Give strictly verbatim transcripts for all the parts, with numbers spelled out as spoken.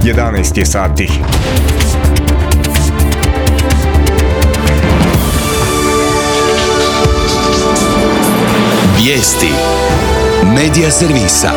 jedanaest je sati. Vijesti Medija servisa.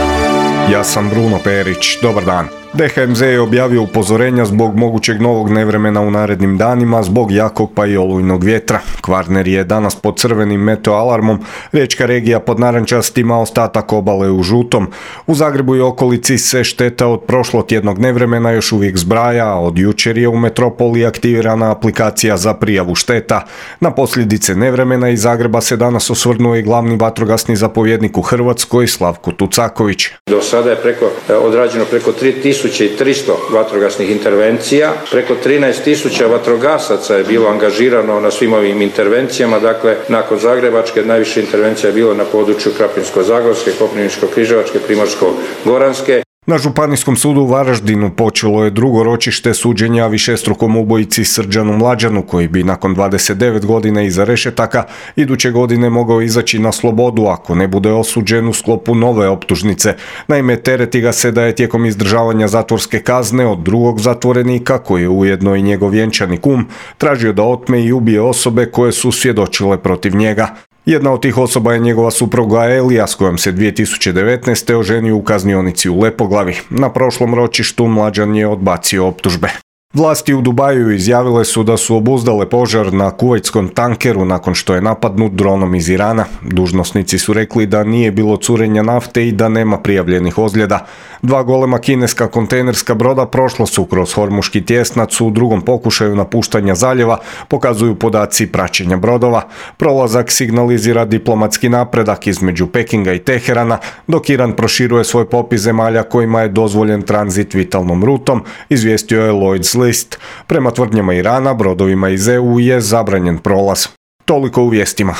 Ja sam Bruno Perić, dobar dan. D H M Z je objavio upozorenja zbog mogućeg novog nevremena u narednim danima zbog jakog pa i olujnog vjetra. Kvarner je danas pod crvenim meteo alarmom, riječka regija pod narančastim, a ostatak obale u žutom. U Zagrebu i okolici se šteta od prošlotjednog nevremena još uvijek zbraja, a od jučer je u metropoli aktivirana aplikacija za prijavu šteta. Na posljedice nevremena iz Zagreba se danas osvrnuo i glavni vatrogasni zapovjednik u Hrvatskoj Slavko Tucaković. Do sada je preko, odrađeno preko tri tisuće tristo vatrogasnih intervencija, preko trinaest tisuća vatrogasaca je bilo angažirano na svim ovim intervencijama, dakle nakon Zagrebačke najviše intervencija je bilo na području Krapinsko-zagorske, Koprivničko-križevačke, Primorsko-goranske. Na Županijskom sudu u Varaždinu počelo je drugo ročište suđenja višestrukom ubojici Srđanu Mlađanu, koji bi nakon dvadeset devet godina iza rešetaka iduće godine mogao izaći na slobodu ako ne bude osuđen u sklopu nove optužnice. Naime, tereti ga se da je tijekom izdržavanja zatvorske kazne od drugog zatvorenika, koji je ujedno i njegov vjenčani kum, tražio da otme i ubije osobe koje su svjedočile protiv njega. Jedna od tih osoba je njegova supruga Elija, s kojom se dvije tisuće devetnaeste oženio u kaznionici u Lepoglavi. Na prošlom ročištu Mlađan je odbacio optužbe. Vlasti u Dubaju izjavile su da su obuzdale požar na kuvajtskom tankeru nakon što je napadnut dronom iz Irana. Dužnosnici su rekli da nije bilo curenja nafte i da nema prijavljenih ozljeda. Dva golema kineska kontejnerska broda prošla su kroz Hormuški tjesnac u drugom pokušaju napuštanja zaljeva, pokazuju podaci praćenja brodova. Prolazak signalizira diplomatski napredak između Pekinga i Teherana, dok Iran proširuje svoj popis zemalja kojima je dozvoljen tranzit vitalnom rutom, izvijestio je Lloyd's List. Prema tvrdnjama Irana, brodovima iz E U je zabranjen prolaz. Toliko u vijestima.